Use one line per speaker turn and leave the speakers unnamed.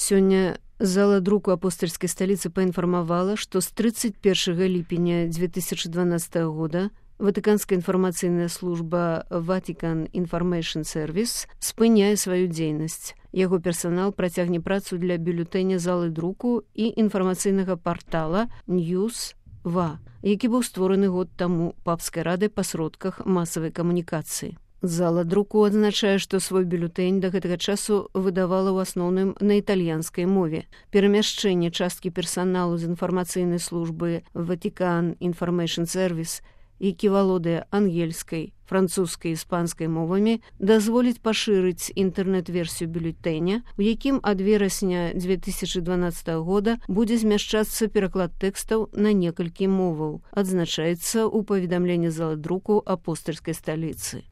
Сёння зала друку апостольскай сталіцы паінфармавала, што з 31 ліпеня 2012 года Ватыканская інфармацыйная служба Vatican Information Service спыняе сваю дзейнасць. Яго персанал працягне працу для бюлетэня залы друку і інфармацыйнага партала News.va, які быў створаны год таму папскай радай па сродках масавай камунікацыі. Зала друку адзначае, што свой бюлетэнь да гэтага часу выдавала ў асноўным на італьянскай мове. Перамяшчэнне часткі персаналу з інфармацыйнай службы Vatican Information Service, які валодае ангельскай, французскай і іспанскай мовамі, дазволіць пашырыць інтэрнэт-версію бюлетэня, у якім ад верасня 2012 года будзе змяшчацца пераклад тэкстаў на некалькі моваў, адзначаецца ў паведамленні залы друку апостальскай сталіцы.